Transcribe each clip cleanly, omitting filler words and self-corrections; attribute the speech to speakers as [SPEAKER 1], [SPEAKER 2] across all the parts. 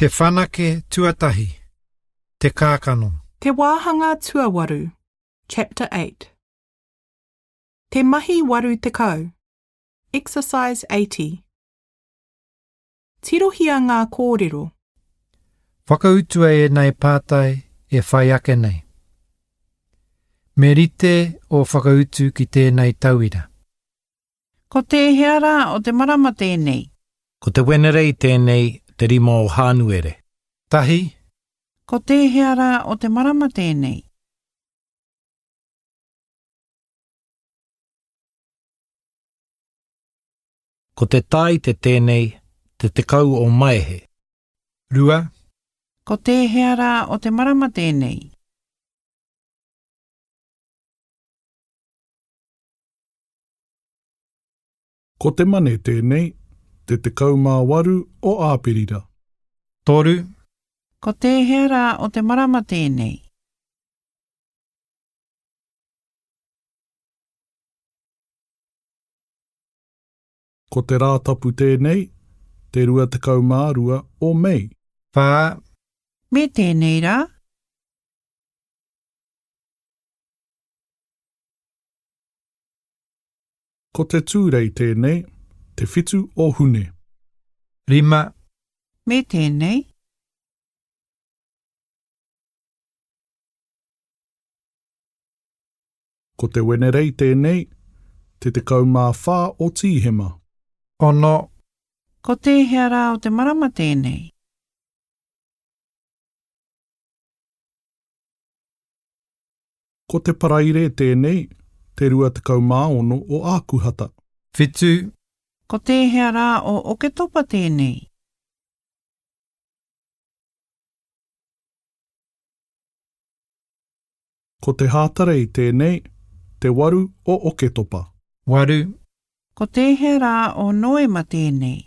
[SPEAKER 1] Te whanake tuatahi, Te kākano.
[SPEAKER 2] Te Wāhanga Tuawaru, Chapter 8. Te Mahi 80, Exercise 80. Tirohia ngā kōrero.
[SPEAKER 1] Whakautua ēnei pātai e whai ake nei. Me rite ō whakautu ki tēnei tauira.
[SPEAKER 3] Ko tēhea rā o te marama tēnei?
[SPEAKER 4] Ko te Wenerei tēnei, te rima o Hānuere.
[SPEAKER 1] Tahi.
[SPEAKER 3] Ko tēhea rā o te marama tēnei?
[SPEAKER 4] Ko te Tāite tēnei, te 10 o Maehe.
[SPEAKER 1] Rua.
[SPEAKER 3] Ko tēhea rā o te marama tēnei?
[SPEAKER 5] Ko te Mane tēnei, te 18 o Āperira.
[SPEAKER 1] Toru.
[SPEAKER 3] Ko tēhea rā o te marama tēnei?
[SPEAKER 5] Ko te Rātapu tēnei, te 22 o Mei.
[SPEAKER 1] Whā.
[SPEAKER 3] Me tēnei rā?
[SPEAKER 5] Ko te Tūrei tēnei, te whitu o Hune.
[SPEAKER 1] Rima.
[SPEAKER 3] Me tēnei?
[SPEAKER 5] Ko te Wenerei tēnei, te 14 o Tīhema.
[SPEAKER 1] Ono.
[SPEAKER 3] Ko tēhea rā o te marama tēnei?
[SPEAKER 5] Ko te Paraire tēnei, te 26 o Ākuhata.
[SPEAKER 1] Whitu.
[SPEAKER 3] Ko tēhea rā o Oketopa tēnei?
[SPEAKER 5] Ko te Hātarei tēnei, te waru o Oketopa.
[SPEAKER 1] Waru.
[SPEAKER 3] Ko tēhea rā o Noema tēnei?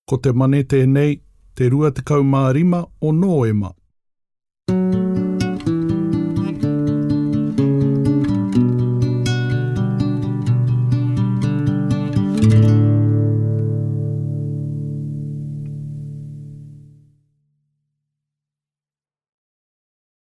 [SPEAKER 5] Ko te Mane tēnei, te 25 o Nōema.